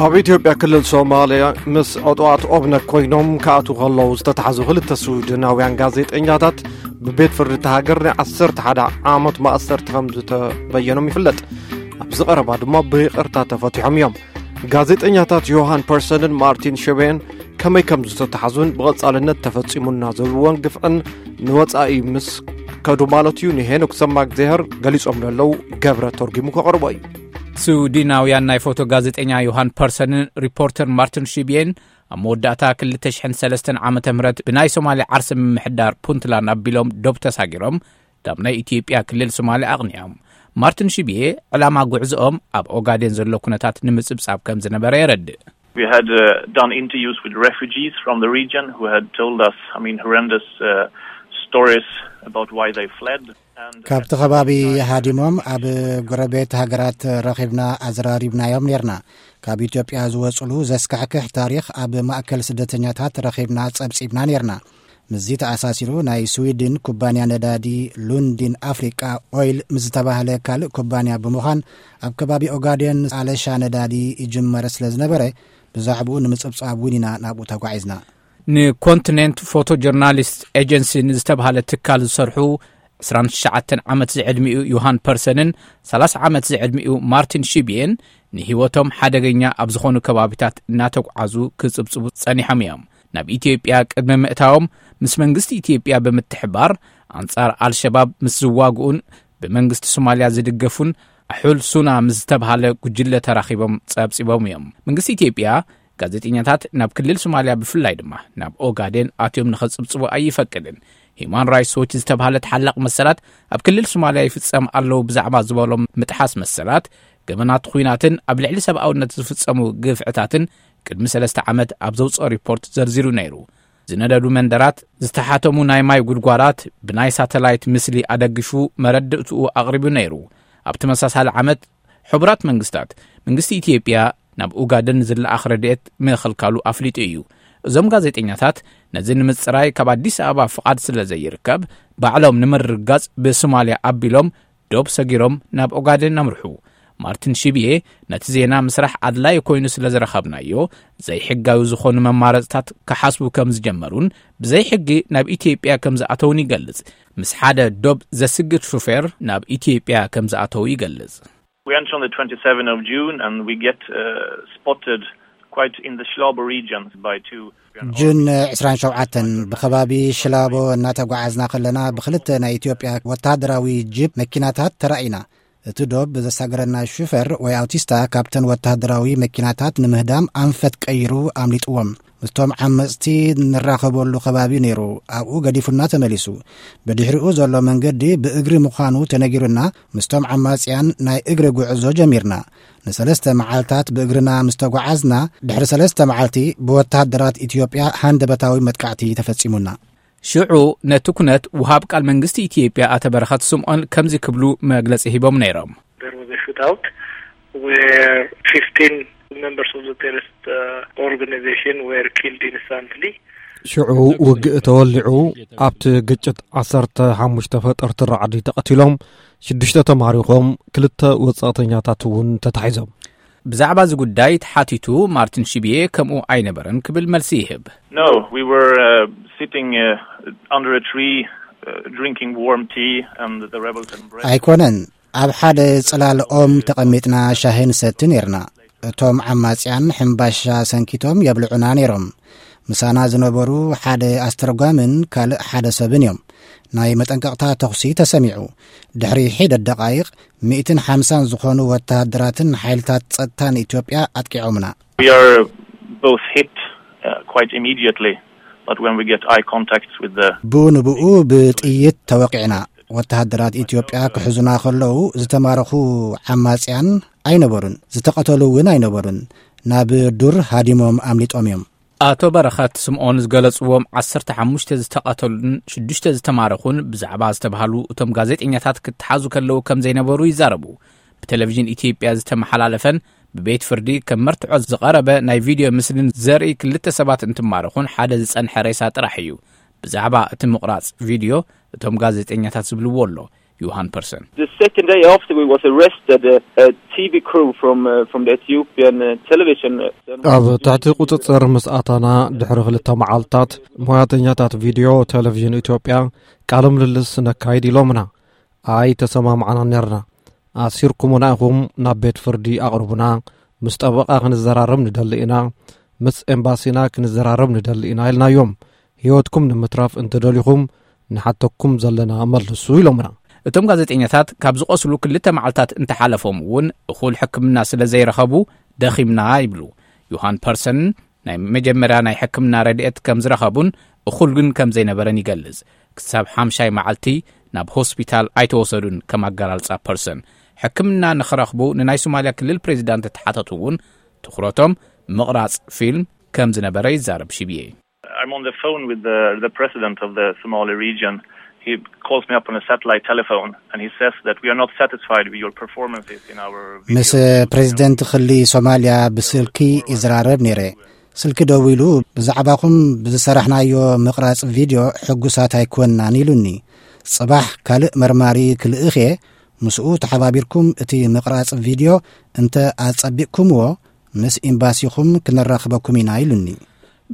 ኣብ ኢትዮጵያ ክልል ሶማልያ ምስ ዕጡቓት ኦብነግ ኮይኖም ክኣትዉ ከለዉ ዝተታሕዙ ክልተ ስዊድናውያን ጋዜጠኛታት ብቤት ፍርዲ እታ ሃገር ናይ ዓሰርተ ሓደ ዓመት ማእሰርቲ ከም ዝተበየኖም ይፍለጥ። ኣብዚ ቀረባ ድማ ብይቕርታ ተፈቲሖም እዮም። ጋዜጠኛታት ዮሃን ፐርሰንን ማርቲን ሽቤን ከመይ ከም ዝተታሕዙን ብቐጻልነት ተፈጺሙና ዝብልዎን ግፍዕን ንወጻኢ ምስ ከዱ ማለት እዩ፣ ንሄኖክ ሰማእግዜሀር ገሊጾም ለለዉ ገብረ ተርጒሙ ከቕርቦ እዩ። ስዊድናውያን ናይ ፎቶ ጋዜጠኛ ዮሃን ፐርሰንን ሪፖርተር ማርቲን ሽቤን ኣብ መወዳእታ ክልተ ሽሕን ሰለስተን ዓመተ ምህረት ብናይ ሶማልያ ዓርሰ ምምሕዳር ፑንትላንድ ኣቢሎም ዶብ ተሳጊሮም ካብ ናይ ኢትዮጵያ ክልል ሶማልያ ኣቕኒዖም። ማርቲን ሽቤ ዕላማ ጉዕዞኦም ኣብ ኦጋዴን ዘሎ ኩነታት ንምጽብጻብ ከም ዝነበረ የረድእ። We had uh, done interviews with refugees from the region who had told us, I mean, horrendous uh, stories about why they fled. And ካብቲ ከባቢ ሃዲሞም ኣብ ጎረቤት ሃገራት ረኺብና ኣዘራሪብናዮም ኔርና። ካብ ኢትዮጵያ ዝወጽሉ ዘስካሕክሕ ታሪኽ ኣብ ማእከል ስደተኛታት ረኺብና ጸብጺብና ኔርና። ምስዚ ተኣሳሲሩ ናይ ስዊድን ኩባንያ ነዳዲ ሉንዲን ኣፍሪቃ ኦይል ምስ ዝተባህለ ካልእ ኩባንያ ብምዃን ኣብ ከባቢ ኦጋዴን ኣለሻ ነዳዲ ይጅመር ስለ ዝነበረ ብዛዕባኡ ንምጽብጻብ እውን ኢና ናብኡ ተጓዒዝና። ንኮንቲኔንት ፎቶ ጆርናሊስት ኤጀንሲ ንዝተባህለ ትካል ዝሰርሑ ዕስራን ትሽዓተን ዓመት ዝዕድሚኡ ዮሃን ፐርሰንን ሰላሳ ዓመት ዝዕድሚኡ ማርቲን ሺብየን ንህይወቶም ሓደገኛ ኣብ ዝኾኑ ከባቢታት እናተጓዓዙ ክጽብጽቡ ጸኒሖም እዮም። ናብ ኢትዮጵያ ቅድሚ ምእታዎም ምስ መንግስቲ ኢትዮጵያ ብምትሕባር ኣንጻር ኣልሸባብ ምስ ዝዋግኡን ብመንግስቲ ሶማልያ ዝድገፉን ኣሑል ሱና ምስ ዝተብሃለ ጉጅለ ተራኺቦም ጸብጺቦም እዮም። መንግስቲ ኢትዮጵያ ጋዜጠኛታት ናብ ክልል ሶማልያ ብፍላይ ድማ ናብ ኦጋዴን ኣትዮም ንኸጽብጽቡ ኣይፈቅድን። ሂማን ራይትስ ዎች ዝተብሃለ ተሓላቕ መሰላት ኣብ ክልል ሶማልያ ይፍጸም ኣለዉ ብዛዕባ ዝበሎም ምጥሓስ መሰላት፣ ገበናት ኹናትን ኣብ ልዕሊ ሰብኣውነት ዝፍጸሙ ግፍዕታትን ቅድሚ ሰለስተ ዓመት ኣብ ዘውጽኦ ሪፖርት ዘርዚሩ ነይሩ። ዝነደዱ መንደራት፣ ዝተሓተሙ ናይ ማይ ጉድጓዳት ብናይ ሳተላይት ምስሊ ኣደጊፉ መረድእትኡ ኣቕሪቡ ነይሩ። ኣብ ተመሳሳሊ ዓመት ሕቡራት መንግስታት፣ መንግስቲ ኢትዮጵያ ናብ ኡጋደን ዝለኣኽ ረድኤት ምኽልካሉ ኣፍሊጡ እዩ። እዞም ጋዜጠኛታት ነዚ ንምጽራይ ካብ ኣዲስ ኣበባ ፍቓድ ስለ ዘይርከብ፣ ባዕሎም ንምርግጋጽ ብሶማልያ ኣቢሎም ዶብ ሰጊሮም ናብ ኦጋደን ኣምርሑ። ማርቲን ሺብየ ነቲ ዜና ምስራሕ ኣድላዪ ኮይኑ ስለ ዝረኸብናዮ፣ ዘይሕጋዊ ዝኾኑ መማረጽታት ክሓስቡ ከም ዝጀመሩን ብዘይሕጊ ናብ ኢትዮጵያ ከም ዝኣተውን ይገልጽ። ምስ ሓደ ዶብ ዘስግድ ሹፌር ናብ ኢትዮጵያ ከም ዝኣተዉ ይገልጽ። We enter on the twenty-seventh of June and we get uh, spotted quite in the Shlabo region by two. ጁን ዕስራን ሸውዓተን ብኸባቢ ሽላቦ እናተጓዓዝና ከለና ብኽልተ ናይ ኢትዮጵያ ወታደራዊ ጂፕ መኪናታት ተራኢና። እቲ ዶብ ዘሳገረና ሹፌር ወይ ኣውቲስታ ካብተን ወታደራዊ መኪናታት ንምህዳም ኣንፈት ቀይሩ ኣምሊጥዎም። ምስቶም ዓመጽቲ ንራኸበሉ ከባቢ ነይሩ፣ ኣብኡ ገዲፉና ተመሊሱ። ብድሕሪኡ ዘሎ መንገዲ ብእግሪ ምዃኑ ተነጊሩና፣ ምስቶም ዓማጽያን ናይ እግሪ ጉዕዞ ጀሚርና። ንሰለስተ መዓልታት ብእግርና ምስ ተጓዓዝና፣ ድሕሪ ሰለስተ መዓልቲ ብወተሃደራት ኢትዮጵያ ሃንደበታዊ መጥቃዕቲ ተፈጺሙና። ሽዑ ነቲ ኩነት ውሃብ ቃል መንግስቲ ኢትዮጵያ ኣቶ በረኸት ስምዖን ከምዚ ክብሉ መግለጺ ሂቦም ነይሮም። There was a shootout where fifteen members of the terrorist uh, organization were killed instantly. ሽዑ ውግእ ተወሊዑ፣ ኣብቲ ግጭት ዓሰርተ ሓሙሽተ ፈጠርቲ ራዕዲ ተቐቲሎም፣ ሽዱሽተ ተማሪኾም፣ ክልተ ወጻእተኛታት እውን ተታሒዞም። ብዛዕባ እዚ ጉዳይ ተሓቲቱ ማርቲን ሽብየ ከምኡ ኣይነበረን ክብል መልሲ ይህብ። No, we were uh, sitting uh, under a tree uh, drinking warm tea and the rebels embraced. ኣይኮነን፣ ኣብ ሓደ ጽላል ኦም ተቐሚጥና ሻሂ ንሰቲ ነይርና። እቶም ዓማጽያን ሕምባሻ ሰንኪቶም የብልዑና ነይሮም። ምሳና ዝነበሩ ሓደ ኣስተርጓምን ካልእ ሓደ ሰብን እዮም። ናይ መጠንቀቕታ ተኹሲ ተሰሚዑ። ድሕሪ ሒደት ደቓይቕ፣ ሚእትን ሓምሳን ዝኾኑ ወተሃደራትን ሓይልታት ጸጥታን ኢትዮጵያ ኣጥቂዖምና። We are both hit uh, quite immediately, but when we get eye contact with the ብኡ ንብኡ ብጥይት ተወቂዕና። ወተሃደራት ኢትዮጵያ ክሕዙና ከለዉ ዝተማረኹ ዓማጽያን ኣይነበሩን፣ ዝተቐተሉ እውን ኣይነበሩን። ናብ ዱር ሃዲሞም ኣምሊጦም እዮም። ኣቶ በረኸት ስምኦን ዝገለጽዎም ዓሰርተ ሓሙሽተ ዝተቐተሉን ሽዱሽተ ዝተማረኹን ብዛዕባ ዝተባህሉ እቶም ጋዜጠኛታት ክተሓዙ ከለዉ ከም ዘይነበሩ ይዛረቡ። ብቴሌቪዥን ኢትዮጵያ ዝተመሓላለፈን ብቤት ፍርዲ ከም መርትዖ ዝቐረበ ናይ ቪድዮ ምስልን ዘርኢ ክልተ ሰባት እንትማረኹን ሓደ ዝጸንሐ ሬሳ ጥራሕ እዩ። ብዛዕባ እቲ ምቑራጽ ቪድዮ እቶም ጋዜጠኛታት ዝብልዎ ኣሎ። ዮሃን ፐርሰን። The second day after we was arrested, uh, a T V crew from uh, from the Ethiopian uh, television. Uh, ኣብ ትሕቲ ቁፅፅር ምስ ኣታና ድሕሪ ክልተ መዓልታት፣ ሞያተኛታት ቪድዮ ቴሌቪዥን ኢትዮጵያ ቃለ ምልልስ ነካይድ ኢሎምና። ኣይ ተሰማምዓና ነርና። ኣሲርኩምና ኢኹም፣ ናብ ቤት ፍርዲ ኣቕርቡና፣ ምስ ጠበቓ ክንዘራረብ ንደሊ ኢና፣ ምስ ኤምባሲና ክንዘራረብ ንደሊ ኢና ኢልናዮም። ህይወትኩም ንምትራፍ እንተደሊኹም ንሓተኩም ዘለና መልሱ ኢሎምና። እቶም ጋዜጠኛታት ካብ ዝቆስሉ ክልተ መዓልታት እንተሓለፎም እውን እኹል ሕክምና ስለ ዘይረኸቡ ደኺምና ይብሉ። ዮሃን ፐርሰን ናይ መጀመርያ ናይ ሕክምና ረድኤት ከም ዝረኸቡን እኹል ግን ከም ዘይነበረን ይገልጽ። ክሳብ ሓምሻይ መዓልቲ ናብ ሆስፒታል ኣይተወሰዱን። ከም ኣገላልጻ ፐርሰን፣ ሕክምና ንኽረኽቡ ንናይ ሶማልያ ክልል ፕሬዚዳንት ተሓተቱ እውን ትኹረቶም ምቕራጽ ፊልም ከም ዝነበረ ይዛረብ ሽብየ። I'm on the phone with the, the president of the Somali region. He calls me up on a satellite telephone and he says that we are not satisfied with your performances in our ምስ ፕሬዚደንት ክሊ ሶማልያ ብስልኪ ይዘራረብ ነይረ። ስልኪ ደዊሉ፣ ብዛዕባኹም ብዝሰራሕናዮ ምቕራጽ ቪድዮ ሕጉሳት ኣይኮንናን ኢሉኒ። ጽባሕ ካልእ መርማሪ ክልእኽ እየ፣ ምስኡ ተሓባቢርኩም እቲ ምቕራጽ ቪድዮ እንተ ኣጸቢቕኩምዎ፣ ምስ ኤምባሲኹም ክነራኽበኩም ኢና ኢሉኒ።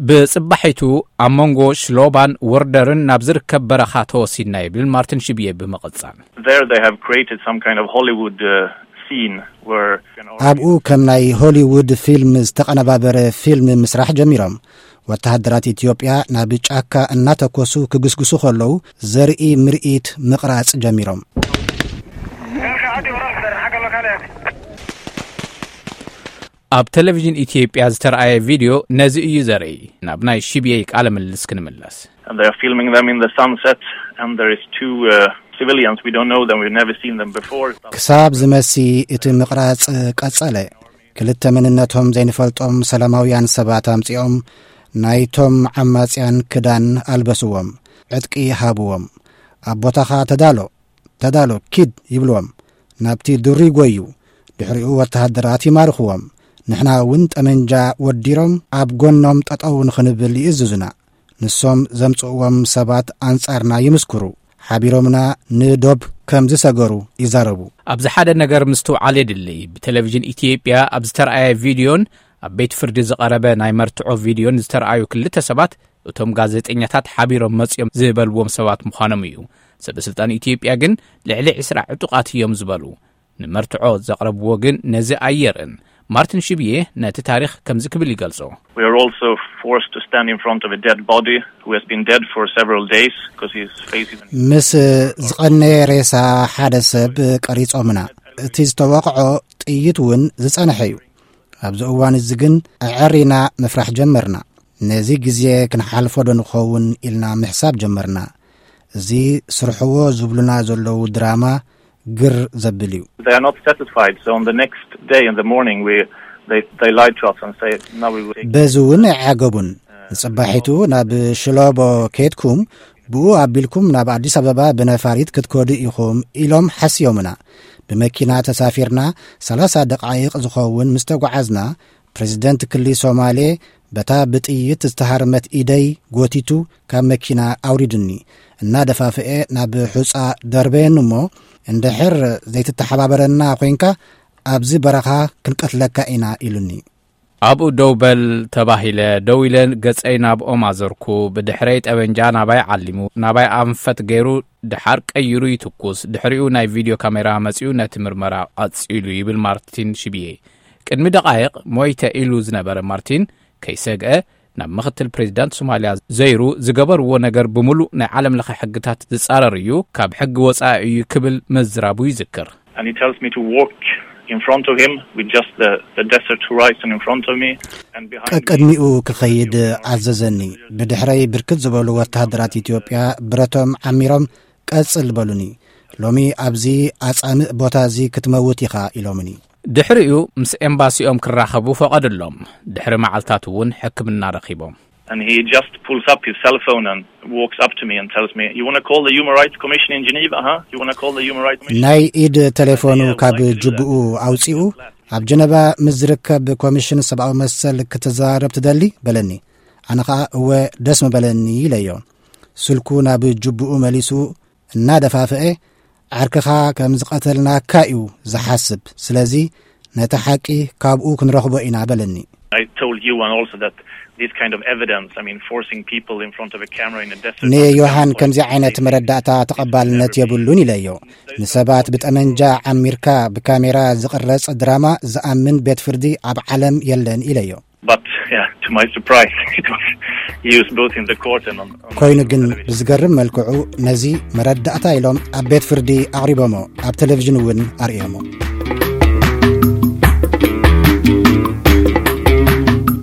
ብጽባሒቱ ኣብ መንጎ ሽሎባን ወርደርን ናብ ዝርከብ በረኻ ተወሲድና ይብል ማርቲን ሽብየ ብምቕጻል። There they have created some kind of Hollywood uh, scene where ኣብኡ ከም ናይ ሆሊውድ ፊልም ዝተቐነባበረ ፊልም ምስራሕ ጀሚሮም። ወተሃደራት ኢትዮጵያ ናብ ጫካ እናተኮሱ ክግስግሱ ከለዉ ዘርኢ ምርኢት ምቕራጽ ጀሚሮም። ኣብ ቴሌቪዥን ኢትዮጵያ ዝተረኣየ ቪድዮ ነዚ እዩ ዘርኢ። ናብ ናይ ሽብየይ ቃለ ምልልስ ክንምለስ። And they are filming them in the sunset and there is two uh, civilians, we don't know them, we've never seen them before. ክሳብ ዝመሲ እቲ ምቕራጽ ቀጸለ። ክልተ መንነቶም ዘይንፈልጦም ሰላማውያን ሰባት ኣምጺኦም ናይቶም ዓማጽያን ክዳን ኣልበስዎም፣ ዕጥቂ ሃብዎም። ኣብ ቦታኻ ተዳሎ፣ ተዳሎ፣ ኪድ ይብልዎም። ናብቲ ዱር ይጎዩ። ድሕሪኡ ወተሃደራት ይማርኽዎም። ንሕና እውን ጠመንጃ ወዲሮም ኣብ ጎኖም ጠጠው ንኽንብል ይእዝዙና። ንሶም ዘምጽእዎም ሰባት ኣንጻርና ይምስክሩ። ሓቢሮምና ንዶብ ከም ዝሰገሩ ይዛረቡ። ኣብዚ ሓደ ነገር ምስትውዓል የድሊ። ብቴሌቪዥን ኢትዮጵያ ኣብ ዝተረኣየ ቪድዮን ኣብ ቤት ፍርዲ ዝቐረበ ናይ መርትዖ ቪድዮን ዝተረኣዩ ክልተ ሰባት፣ እቶም ጋዜጠኛታት ሓቢሮም መጺኦም ዝበልዎም ሰባት ምዃኖም እዩ። ሰበ ስልጣን ኢትዮጵያ ግን ልዕሊ ዕስራ ዕጡቓት እዮም ዝበሉ። ንመርትዖ ዘቕረብዎ ግን ነዚ ኣየርእን። ማርቲን ሽብዬ ነቲ ታሪኽ ከምዚ ክብል ይገልጾ። We are also forced to stand in front of a dead body who has been dead for several days because he is facing an ምስ ዝቐነየ ሬሳ ሓደ ሰብ ቀሪጾምና። እቲ ዝተወቕዖ ጥይት እውን ዝጸንሐ እዩ። ኣብዚ እዋን እዚ ግን ኣዐሪና ምፍራሕ ጀመርና። ነዚ ግዜ ክንሓልፎ ዶ ንኸውን ኢልና ምሕሳብ ጀመርና። እዚ ስርሕዎ ዝብሉና ዘለዉ ድራማ ግር ዘብል እዩ። They are not satisfied, so on the next day in the morning we they they lied to us and say now we will take በዚ እውን ኣይዓገቡን። ንጽባሒቱ ናብ ሽሎቦ ከድኩም ብኡ ኣቢልኩም ናብ ኣዲስ ኣበባ ብነፋሪት ክትከዱ ኢኹም ኢሎም ሓስዮምና። ብመኪና ተሳፊርና ሰላሳ ደቓይቕ ዝኸውን ምስ ተጓዓዝና ፕሬዚደንት ክሊ ሶማሌ በታ ብጥይት ዝተሃርመት ኢደይ ጎቲቱ ካብ መኪና ኣውሪዱኒ። እናደፋፍኤ ናብ ሑጻ ደርበየኒ እሞ እንድሕር ዘይትተሓባበረና ኮይንካ ኣብዚ በረኻ ክንቀትለካ ኢና ኢሉኒ። ኣብኡ ደው በል ተባሂለ ደው ኢለ ገጸይ ናብ ኦም ኣዘርኩ። ብድሕረይ ጠበንጃ ናባይ ዓሊሙ ናባይ ኣንፈት ገይሩ ድሓር ቀይሩ ይትኩስ። ድሕሪኡ ናይ ቪድዮ ካሜራ መጺኡ ነቲ ምርመራ ቀጺሉ ይብል ማርቲን ሽብዬ። ቅድሚ ደቓይቕ ሞይተ ኢሉ ዝነበረ ማርቲን ከይሰግአ ናብ ምኽትል ፕሬዚዳንት ሶማልያ ዘይሩ ዝገበርዎ ነገር ብምሉእ ናይ ዓለም ለኸ ሕግታት ዝጻረር እዩ፣ ካብ ሕጊ ወጻኢ እዩ ክብል ምዝራቡ ይዝክር። And he tells me to walk in front of him with just the, the desert horizon in front of me and behind me. ቀቅድሚኡ ክኸይድ ኣዘዘኒ። ብድሕረይ ብርክት ዝበሉ ወተሃደራት ኢትዮጵያ ብረቶም ዓሚሮም ቀጽል በሉኒ። ሎሚ ኣብዚ ኣጻምእ ቦታ እዚ ክትመውት ኢኻ ኢሎምኒ። ድሕሪኡ ምስ ኤምባሲኦም ክራኸቡ ፈቐድሎም። ድሕሪ መዓልታት እውን ሕክምና ረኺቦም። And he just pulls up his cell phone and walks up to me and tells me, you want to call the Human Rights Commission in Geneva, huh? You want to call the Human Rights Commission? ናይ ኢድ ቴሌፎኑ ካብ ጅብኡ ኣውጺኡ ኣብ ጀነባ ምስ ዝርከብ ኮሚሽን ሰብኣዊ መሰል ክትዘራረብ ትደሊ በለኒ። ኣነ ኸኣ እወ ደስ ምበለኒ ኢለዮ። ስልኩ ናብ ጅብኡ መሊሱ እናደፋፍአ ዓርክኻ ከም ዝቐተልናካ እዩ ዝሓስብ። ስለዚ ነቲ ሓቂ ካብኡ ክንረኽቦ ኢና በለኒ። I told Johan also that this kind of evidence, I mean, forcing people in front of a camera in a desert. ንዮሃን ከምዚ ዓይነት መረዳእታ ተቐባልነት የብሉን ኢለዮ። ንሰባት ብጠመንጃ ዓሚርካ ብካሜራ ዝቕረጽ ድራማ ዝኣምን ቤት ፍርዲ ኣብ ዓለም የለን ኢለዮ። But yeah, to my surprise, it was used both in the court and on, on ኮይኑ ግን ብዝገርም መልክዑ ነዚ መረዳእታ ኢሎም ኣብ ቤት ፍርዲ ኣቕሪቦሞ፣ ኣብ ቴሌቪዥን እውን ኣርእዮሞ።